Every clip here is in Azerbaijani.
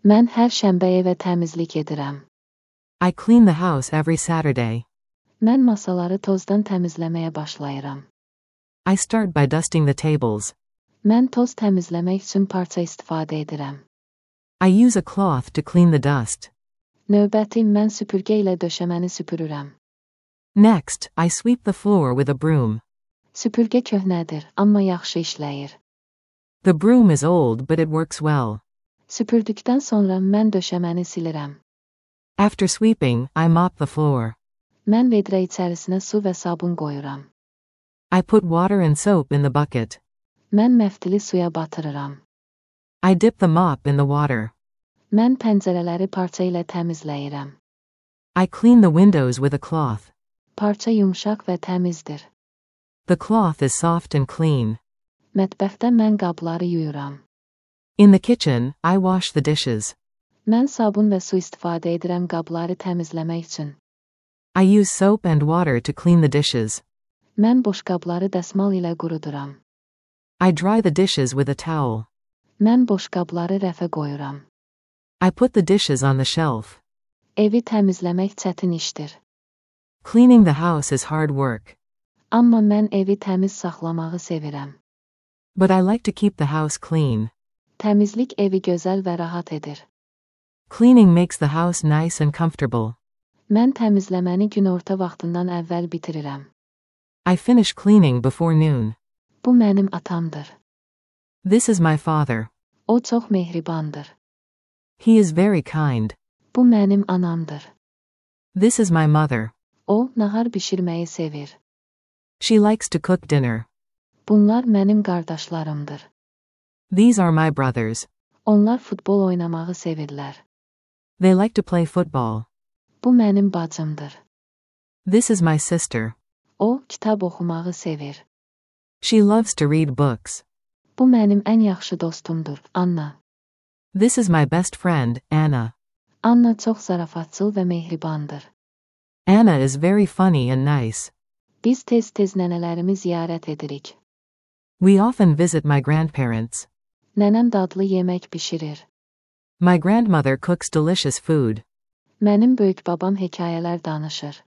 Mən hər şənbə evə təmizlik edirəm. I clean the house every Saturday. Mən masaları tozdan təmizləməyə başlayıram. I start by dusting the tables. Mən toz təmizləmək üçün parça istifadə edirəm. I use a cloth to clean the dust. Növbəti mən süpürgə ilə döşəməni süpürürəm. Next, I sweep the floor with a broom. Süpürgə köhnədir, amma yaxşı işləyir. The broom is old but it works well. Süpürdükdən sonra mən döşəməni silirəm. After sweeping, I mop the floor. Mən vedrə içərisinə su və sabun qoyuram. I put water and soap in the bucket. Mən məftili suya batırıram. I dip the mop in the water. Mən pəncərələri parça ilə təmizləyirəm. I clean the windows with a cloth. Parça yumşaq və təmizdir. The cloth is soft and clean. Mətbəxdə mən qabları yuyuram. In the kitchen, I wash the dishes. Mən sabun və su istifadə edirəm qabları təmizləmək üçün. I use soap and water to clean the dishes. Mən boşqabları dəsmal ilə quruduram. I dry the dishes with a towel. Mən boşqabları rəfə qoyuram. I put the dishes on the shelf. Evi təmizləmək çətin işdir. Cleaning the house is hard work. Amma mən evi təmiz saxlamağı sevirəm. But I like to keep the house clean. Təmizlik evi gözəl və rahat edir. Cleaning makes the house nice and comfortable. Mən təmizləməni günorta vaxtından əvvəl bitirirəm. I finish cleaning before noon. Bu mənim atamdır. This is my father. O çox mehribandır. He is very kind. Bu mənim anamdır. This is my mother. O, nahar bişirməyi sevir. She likes to cook dinner. Bunlar mənim qardaşlarımdır. These are my brothers. Onlar futbol oynamağı sevirlər. They like to play football. Bu mənim bacımdır. This is my sister. O, kitab oxumağı sevir. She loves to read books. Bu mənim ən yaxşı dostumdur, Anna. This is my best friend, Anna. Anna çox zarafatçıl və mehribandır. Anna is very funny and nice. Biz tez-tez nənələrimi ziyarət edirik. We often visit my grandparents. Nənəm dadlı yemək bişirir. My grandmother cooks delicious food. Mənim böyük babam hekayələr danışır.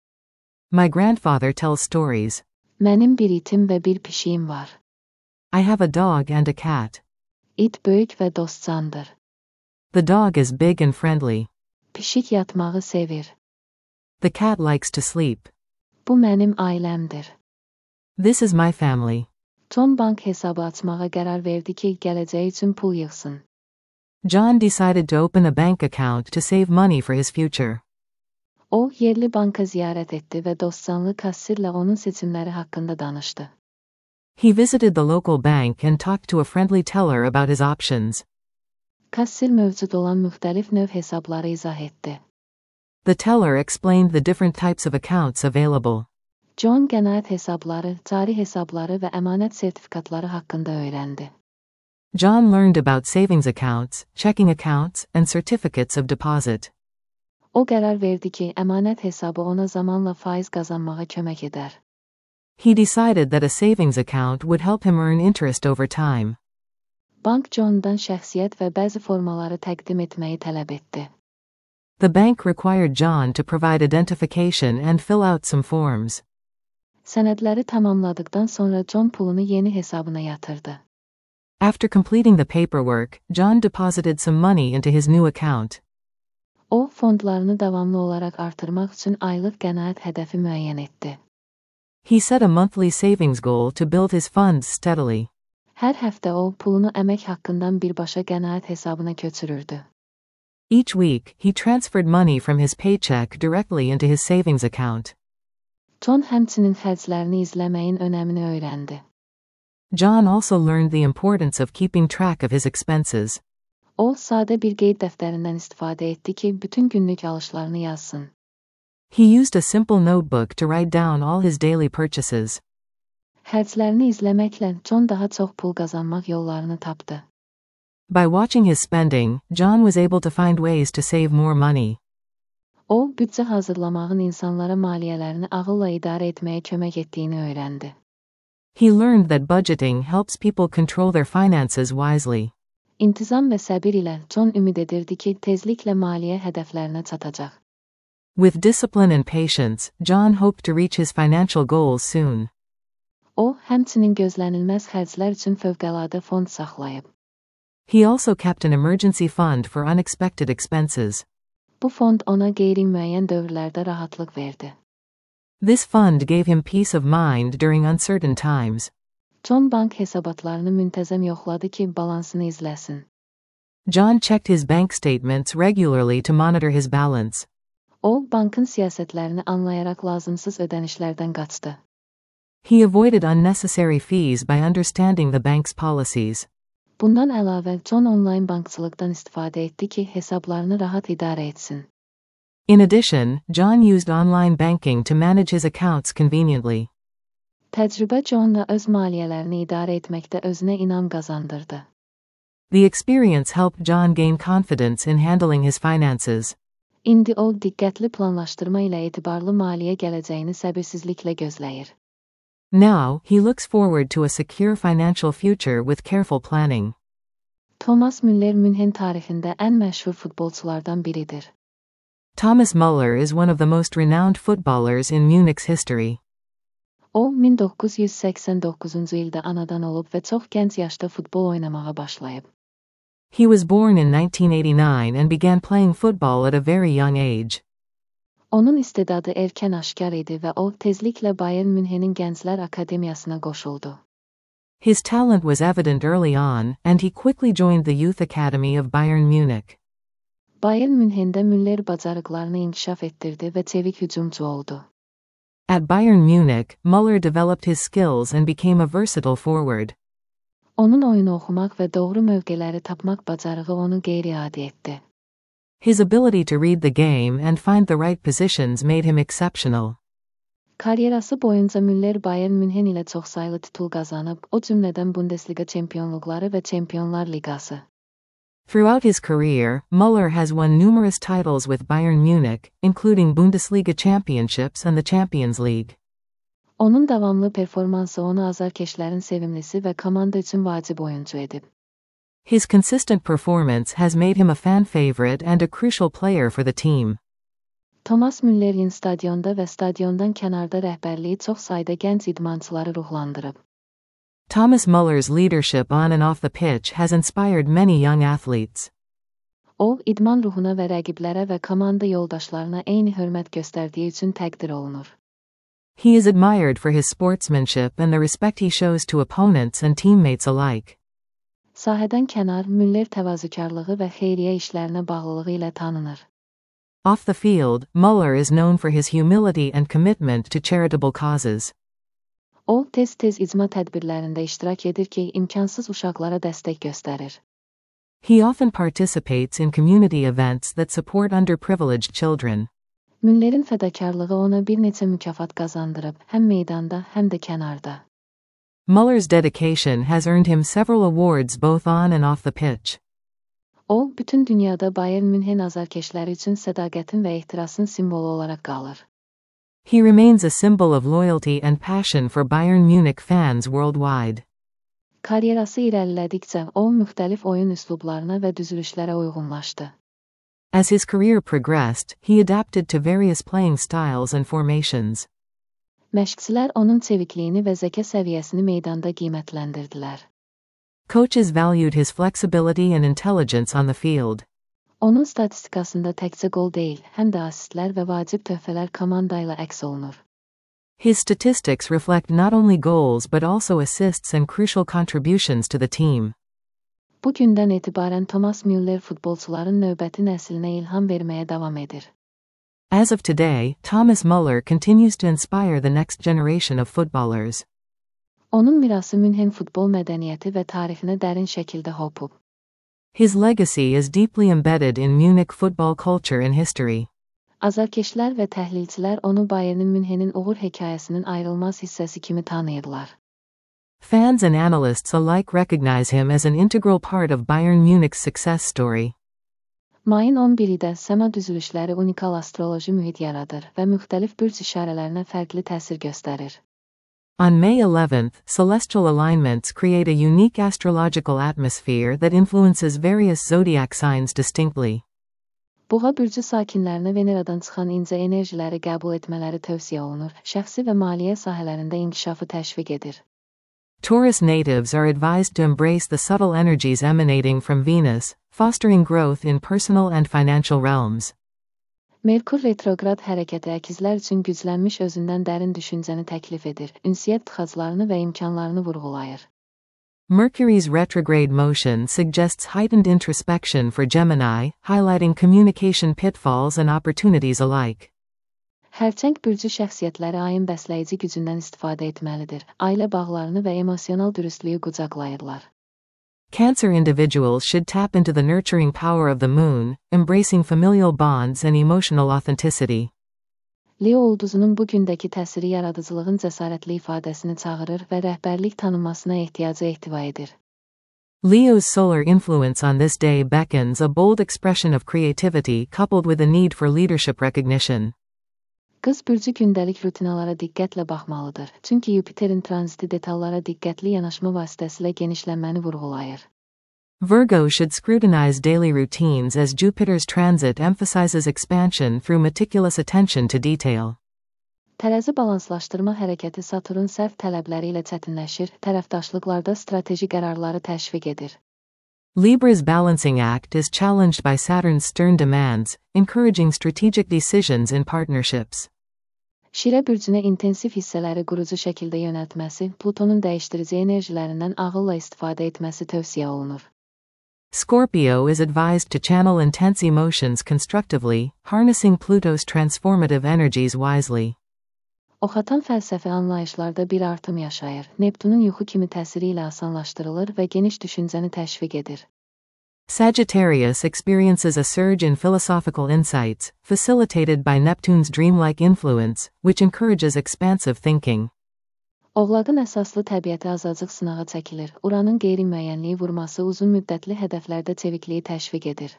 My grandfather tells stories. Mənim bir itim və bir pişiyim var. I have a dog and a cat. İt böyük və dostcandır. The dog is big and friendly. Pişik yatmağı sevir. The cat likes to sleep. Bu mənim ailəmdir. This is my family. John bank hesabı açmağa qərar verdi ki, gələcəyi üçün pul yığsın. John decided to open a bank account to save money for his future. O, yerli banka ziyarət etdi və dostcanlı kassirlə onun seçimləri haqqında danışdı. He visited the local bank and talked to a friendly teller about his options. Kassir mövcud olan müxtəlif növ hesabları izah etdi. The teller explained the different types of accounts available. John qənaət hesabları, cari hesabları və əmanət sertifikatları haqqında öyrəndi. John learned about savings accounts, checking accounts, and certificates of deposit. O qərar verdi ki, əmanət hesabı ona zamanla faiz qazanmağa kömək edər. He decided that a savings account would help him earn interest over time. Bank John'dan şəxsiyyət və bəzi formaları təqdim etməyi tələb etdi. The bank required John to provide identification and fill out some forms. Sənədləri tamamladıqdan sonra John pulunu yeni hesabına yatırdı. After completing the paperwork, John deposited some money into his new account. O, fondlarını davamlı olaraq artırmaq üçün aylıq qənaət hədəfi müəyyən etdi. He set a monthly savings goal to build his funds steadily. Hər həftə o, pulunu əmək haqqından birbaşa qənaət hesabına köçürürdü. Each week, he transferred money from his paycheck directly into his savings account. John həmçinin xərclərini izləməyin önəmini öyrəndi. John also learned the importance of keeping track of his expenses. O, sadə bir qeyd dəftərindən istifadə etdi ki, bütün günlük alışlarını yazsın. He used a simple notebook to write down all his daily purchases. Xərclərini izləməklə John daha çox pul qazanmaq yollarını tapdı. By watching his spending, John was able to find ways to save more money. O, büdcə hazırlamağın insanlara maliyyələrini ağılla idarə etməyə kömək etdiyini öyrəndi. He learned that budgeting helps people control their finances wisely. İntizam və səbir ilə John ümid edirdi ki, tezliklə maliyyə hədəflərinə çatacaq. With discipline and patience, John hoped to reach his financial goals soon. O, həmçinin gözlənilməz xərclər üçün fövqəladə fond saxlayıb. He also kept an emergency fund for unexpected expenses. Bu fond ona qeyri-müəyyən dövrlərdə rahatlıq verdi. This fund gave him peace of mind during uncertain times. John bank hesabatlarını müntəzəm yoxladı ki, balansını izləsin. John checked his bank statements regularly to monitor his balance. O, bankın siyasətlərini anlayaraq lazımsız ödənişlərdən qaçdı. He avoided unnecessary fees by understanding the bank's policies. Bundan əlavə, John onlayn bankçılıqdan istifadə etdi ki, hesablarını rahat idarə etsin. In addition, John used online banking to manage his accounts conveniently. Təcrübə Johnla öz maliyyələrini idarə etməkdə özünə inam qazandırdı. The experience helped John gain confidence in handling his finances. İndi o, diqqətli planlaşdırma ilə etibarlı maliyyə gələcəyini səbirsizliklə gözləyir. Now, he looks forward to a secure financial future with careful planning. Thomas Müller Münhen tarixində ən məşhur futbolçulardan biridir. Thomas Müller is one of the most renowned footballers in Munich's history. O, 1989-cu ildə anadan olub və çox gənc yaşda futbol oynamağa başlayıb. He was born in 1989 and began playing football at a very young age. Onun istedadı erkən aşkar idi və o, tezliklə Bayern Münhenin Gənclər Akademiyasına qoşuldu. His talent was evident early on, and he quickly joined the youth academy of Bayern Munich. Bayern Münhendə Müller bacarıqlarını inkişaf etdirdi və çevik hücumçu oldu. At Bayern Munich, Müller developed his skills and became a versatile forward. Onun oyunu oxumaq və doğru mövqeləri tapmaq bacarığı onu qeyri-adi etdi. His ability to read the game and find the right positions made him exceptional. Karyerası boyunca Müller Bayern Münhen ilə çoxsaylı titul qazanıb, o cümlədən Bundesliga çempionluqları və Çempionlar Liqası. Throughout his career, Müller has won numerous titles with Bayern Munich, including Bundesliga championships and the Champions League. Onun davamlı performansı onu azarkeşlərin sevimlisi və komanda üçün vacib oyuncu edib. His consistent performance has made him a fan favorite and a crucial player for the team. Thomas Müller'in stadionda və stadiondan kənarda rəhbərliyi çox sayda gənc idmançıları ruhlandırıb. Thomas Müller's leadership on and off the pitch has inspired many young athletes. O, idman ruhuna və rəqiblərə və komanda yoldaşlarına eyni hörmət göstərdiyi üçün təqdir olunur. He is admired for his sportsmanship and the respect he shows to opponents and teammates alike. Sahədən kənar, Müller təvazökarlığı və xeyriyyə işlərinə bağlılığı ilə tanınır. Off the field, Müller is known for his humility and commitment to charitable causes. O, tez-tez icma tədbirlərində iştirak edir ki, imkansız uşaqlara dəstək göstərir. He often participates in community events that support underprivileged children. Müller'in fədakarlığı ona bir neçə mükafat qazandırıb, həm meydanda, həm də kənarda. Müller's dedication has earned him several awards both on and off the pitch. O, bütün dünyada Bayern Münhen azarkeşləri üçün sədaqətin və ehtirasın simvolu olaraq qalır. He remains a symbol of loyalty and passion for Bayern Munich fans worldwide. Karyerası irəlilədikcə, o, müxtəlif oyun üslublarına və düzülüşlərə uyğunlaşdı. As his career progressed, he adapted to various playing styles and formations. Məşqçilər onun çevikliyini və zəka səviyyəsini meydanda qiymətləndirdilər. Coaches valued his flexibility and intelligence on the field. Onun statistikasında təkcə gol deyil, həm də asistlər və vacib töhfələr komanda ilə əks olunur. His statistics reflect not only goals but also assists and crucial contributions to the team. Bu gündən etibarən Thomas Müller futbolçuların növbəti nəslinə ilham verməyə davam edir. As of today, Thomas Müller continues to inspire the next generation of footballers. Onun mirası Münhen futbol mədəniyyəti və tarixinə dərin şəkildə hopub. His legacy is deeply embedded in Munich football culture and history. Azarkeşlər və təhlilçilər onu Bayern Münhenin uğur hekayəsinin ayrılmaz hissəsi kimi tanıyırlar. Fans and analysts alike recognize him as an integral part of Bayern Munich's success story. Mayın 11-də səma düzülüşləri unikal astroloji mühit yaradır və müxtəlif bürc işarələrinə fərqli təsir göstərir. On May 11th, celestial alignments create a unique astrological atmosphere that influences various zodiac signs distinctly. Boğa bürcü sakinlərinə Veneradan çıxan incə enerjiləri qəbul etmələri tövsiyə olunur. Şəxsi və maliyyə sahələrində inkişafı təşviq edir. Taurus natives are advised to embrace the subtle energies emanating from Venus, fostering growth in personal and financial realms. Merkur retrograd hərəkəti əkizlər üçün güclənmiş özündən dərin düşüncəni təklif edir, ünsiyyət tıxaclarını və imkanlarını vurğulayır. Mercury's retrograde motion suggests heightened introspection for Gemini, highlighting communication pitfalls and opportunities alike. Hərçəng bürcü şəxsiyyətləri ayın bəsləyici gücündən istifadə etməlidir. Ailə bağlarını və emosional dürüstlüyü qucaqlayırlar. Cancer individuals should tap into the nurturing power of the moon, embracing familial bonds and emotional authenticity. Leo ulduzunun bu gündəki təsiri yaradıcılığın cəsarətli ifadəsini çağırır və rəhbərlik tanınmasına ehtiyacı ehtiva edir. Leo's solar influence on this day beckons a bold expression of creativity coupled with a need for leadership recognition. Qız bürcü gündəlik rutinalara diqqətlə baxmalıdır, çünki Yupiterin tranziti detallara diqqətli yanaşma vasitəsilə genişlənməni vurğulayır. Virgo should scrutinize daily routines as Jupiter's transit emphasizes expansion through meticulous attention to detail. Tərəzi balanslaşdırma hərəkəti Saturnun sərt tələbləri ilə çətinləşir, tərəfdaşlıqlarda strateji qərarları təşviq edir. Libra's balancing act is challenged by Saturn's stern demands, encouraging strategic decisions in partnerships. Şirə bürcünə intensiv hissələri qurucu şəkildə yönəltməsi, Plutonun dəyişdirici enerjilərindən ağılla istifadə etməsi tövsiyə olunur. Scorpio is advised to channel intense emotions constructively, harnessing Pluto's transformative energies wisely. Oxatan fəlsəfi anlayışlarda bir artım yaşayır. Neptunun yuxu kimi təsiri ilə asanlaşdırılır və geniş düşüncəni təşviq edir. Sagittarius experiences a surge in philosophical insights, facilitated by Neptune's dreamlike influence, which encourages expansive thinking. Oğlaqın əsaslı təbiəti azacıq sınağa çəkilir. Uranın qeyri-müəyyənliyi vurması uzun müddətli hədəflərdə çevikliyi təşviq edir.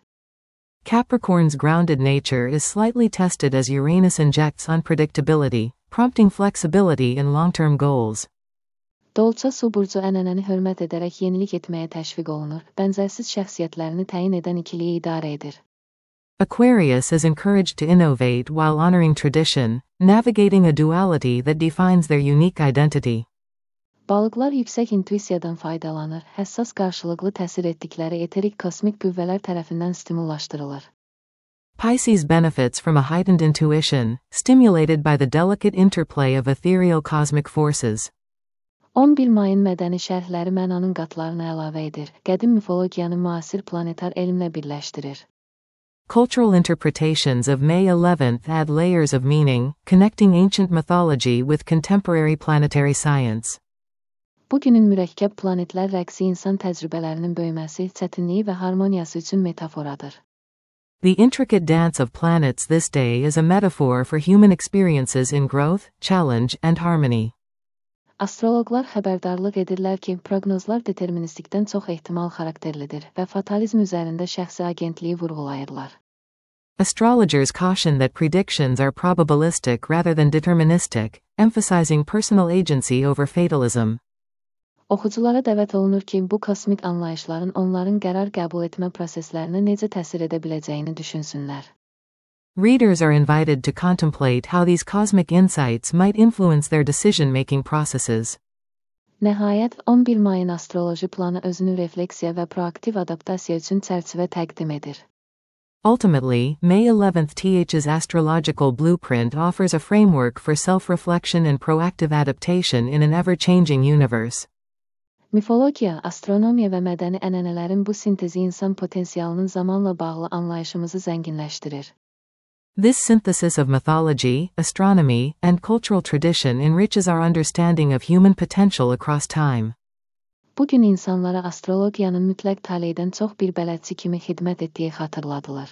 Capricorn's grounded nature is slightly tested as Uranus injects unpredictability, prompting flexibility in long-term goals. Dolça su burcu ənənəni hörmət edərək yenilik etməyə təşviq olunur, bənzərsiz şəxsiyyətlərini təyin edən ikiliyi idarə edir. Aquarius is encouraged to innovate while honoring tradition, navigating a duality that defines their unique identity. Balıqlar yüksək intuisiyadan faydalanır, həssas qarşılıqlı təsir etdikləri eterik kosmik qüvvələr tərəfindən stimullaşdırılır. Pisces benefits from a heightened intuition, stimulated by the delicate interplay of ethereal cosmic forces. 11 mayın mədəni şərhləri mənanın qatlarını əlavə edir, qədim mifologiyanı müasir planetar elmlə birləşdirir. Cultural interpretations of May 11th add layers of meaning, connecting ancient mythology with contemporary planetary science. Bugünün mürəkkəb planetlər rəqsi insan təcrübələrinin böyüməsi, çətinliyi və harmoniyası üçün metaforadır. The intricate dance of planets this day is a metaphor for human experiences in growth, challenge, and harmony. Astroloqlar xəbərdarlıq edirlər ki, proqnozlar deterministikdən çox ehtimal xarakterlidir və fatalizm üzərində şəxsi agentliyi vurğulayırlar. Astrologers caution that predictions are probabilistic rather than deterministic, emphasizing personal agency over fatalism. Oxuculara dəvət olunur ki, bu kosmik anlayışların onların qərar qəbul etmə proseslərinə necə təsir edə biləcəyini düşünsünlər. Readers are invited to contemplate how these cosmic insights might influence their decision-making processes. Nəhayət, 11 mayın astroloji planı özünü refleksiya və proaktiv adaptasiya üçün çərçivə təqdim edir. Ultimately, May 11th's astrological blueprint offers a framework for self-reflection and proactive adaptation in an ever-changing universe. Mifologiya, astronomiya və mədəni ənənələrin bu sintezi insan potensialının zamanla bağlı anlayışımızı zənginləşdirir. This synthesis of mythology, astronomy, and cultural tradition enriches our understanding of human potential across time. Bugün insanlara astrologiyanın mütləq taleydən çox bir bələdçi kimi xidmət etdiyi xatırladılar.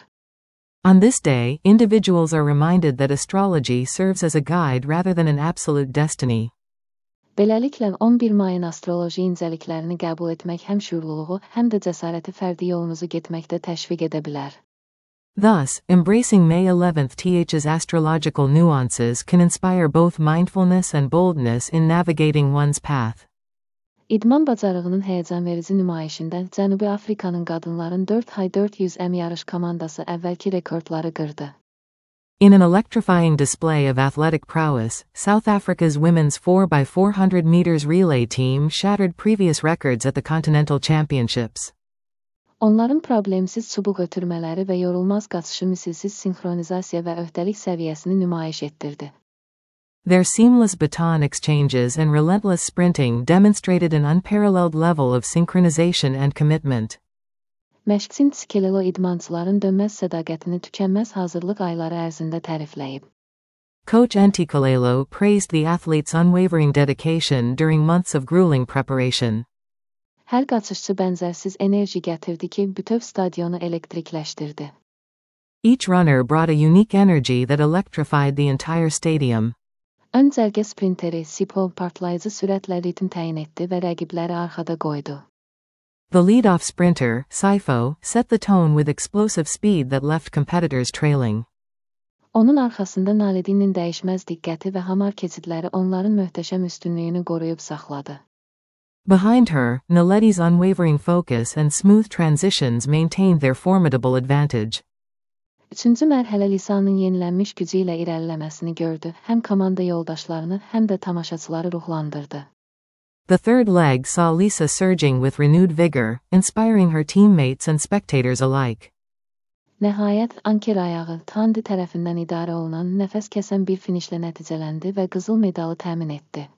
On this day, individuals are reminded that astrology serves as a guide rather than an absolute destiny. Beləliklə, 11 mayın astroloji incəliklərini qəbul etmək həm şüurluluğu, həm də cəsarəti fərdi yolunuzu getməkdə təşviq edə bilər. Thus, embracing May 11th's astrological nuances can inspire both mindfulness and boldness in navigating one's path. İdman bacarığının həyəcanverici nümayişində Cənubi Afrikanın qadınların 4x400m yarış komandası əvvəlki rekordları qırdı. In an electrifying display of athletic prowess, South Africa's women's 4x400 meters relay team shattered previous records at the Continental Championships. Onların problemsiz çubuq ötürmələri və yorulmaz qaçışı misilsiz sinxronizasiya və öhdəlik səviyyəsini nümayiş etdirdi. Their seamless baton exchanges and relentless sprinting demonstrated an unparalleled level of synchronization and commitment. Məşqçin Tshikelelo idmançıların dönməz sədaqətini tükənməz hazırlıq ayları ərzində tərifləyib. Coach Ntsikelelo praised the athletes' unwavering dedication during months of grueling preparation. Hər qaçışçı bənzərsiz enerji gətirdi ki, bütöv stadionu elektrikləşdirdi. Each runner brought a unique energy that electrified the entire stadium. Ön cərgə sprinteri Sipho partlayıcı sürətlə ritm təyin etdi və rəqibləri arxada qoydu. The lead-off sprinter, Sipho, set the tone with explosive speed that left competitors trailing. Onun arxasında Naledi'nin dəyişməz diqqəti və hamar keçidləri onların möhtəşəm üstünlüyünü qoruyub saxladı. Behind her, Naledi's unwavering focus and smooth transitions maintained their formidable advantage. Üçüncü mərhələ Lisanın yenilənmiş gücü ilə irəliləməsini gördü, həm komanda yoldaşlarını, həm də tamaşaçıları ruhlandırdı. The third leg saw Lisa surging with renewed vigor, inspiring her teammates and spectators alike. Nəhayət, anker ayağı Thandi tərəfindən idarə olunan nəfəs kəsən bir finişlə nəticələndi və qızıl medalı təmin etdi.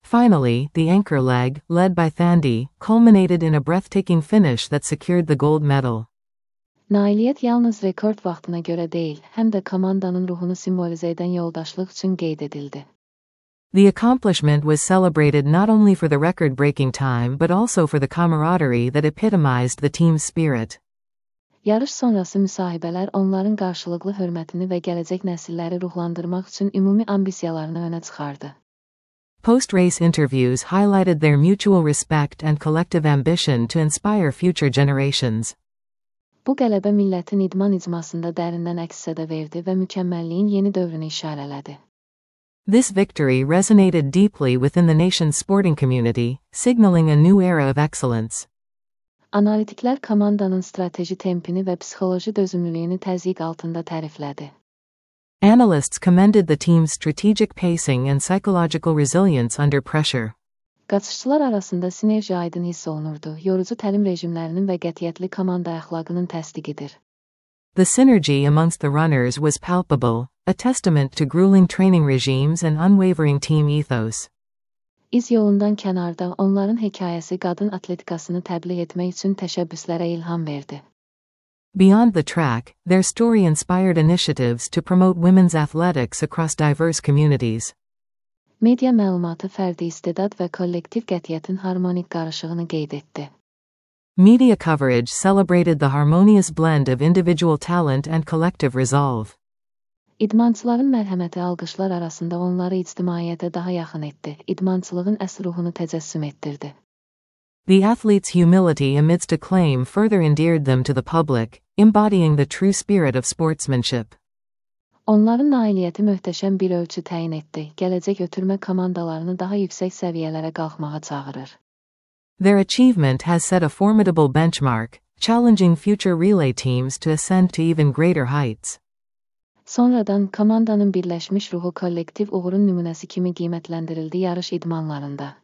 Finally, the anchor leg, led by Thandi, culminated in a breathtaking finish that secured the gold medal. Nailiyyət yalnız rekord vaxtına görə deyil, həm də komandanın ruhunu simvolizə edən yoldaşlıq üçün qeyd edildi. The accomplishment was celebrated not only for the record-breaking time but also for the camaraderie that epitomized the team's spirit. Yarış sonrası müsahibələr onların qarşılıqlı hörmətini və gələcək nəsilləri ruhlandırmaq üçün ümumi ambisiyalarını önə çıxardı. Post-race interviews highlighted their mutual respect and collective ambition to inspire future generations. Bu qələbə millətin idman icmasında dərindən əks-səda verdi və mükəmməlliyin yeni dövrünü işarələdi. This victory resonated deeply within the nation's sporting community, signaling a new era of excellence. Analitiklər komandanın strateji tempini və psixoloji dözümlülüyünü təzyiq altında təriflədi. Analysts commended the team's strategic pacing and psychological resilience under pressure. Qaçışçılar arasında sinerji aydın hiss olunurdu, yorucu təlim rejimlərinin və qətiyyətli komanda əxlaqının təsdiqidir. The synergy amongst the runners was palpable, a testament to grueling training regimes and unwavering team ethos. İz yolundan kənarda onların hekayəsi qadın atletikasını təbliğ etmək üçün təşəbbüslərə ilham verdi. Beyond the track, their story inspired initiatives to promote women's athletics across diverse communities. Media məlumatı fərdi istedad və kollektiv qətiyyətin harmonik qarışığını qeyd etdi. Media coverage celebrated the harmonious blend of individual talent and collective resolve. İdmançıların mərhəməti alqışlar arasında onları ictimaiyyətə daha yaxın etdi, idmançılığın əsl ruhunu təcəssüm etdirdi. The athletes' humility amidst acclaim further endeared them to the public, embodying the true spirit of sportsmanship. Onların nailiyyəti möhtəşəm bir ölçü təyin etdi, gələcək ötürmə komandalarını daha yüksək səviyyələrə qalxmağa çağırır. Their achievement has set a formidable benchmark, challenging future relay teams to ascend to even greater heights. Sonradan komandanın birləşmiş ruhu kollektiv uğurun nümunəsi kimi qiymətləndirildi yarış idmanlarında.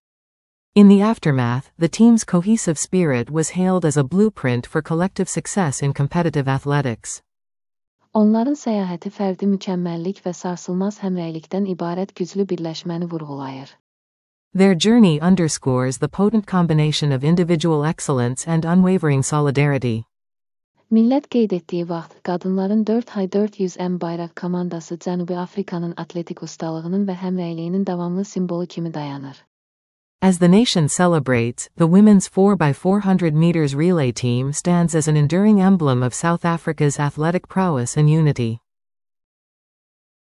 In the aftermath, the team's cohesive spirit was hailed as a blueprint for collective success in competitive athletics. Onların səyahəti fərdi mükəmməllik və sarsılmaz həmrəylikdən ibarət güclü birləşməni vurğulayır. Their journey underscores the potent combination of individual excellence and unwavering solidarity. Millət qeyd etdiyi vaxt, qadınların 4x400m bayraq komandası Cənubi Afrikanın atletik ustalığının və həmrəyliyinin davamlı simvolu kimi dayanır. As the nation celebrates, the women's 4x400 meters relay team stands as an enduring emblem of South Africa's athletic prowess and unity.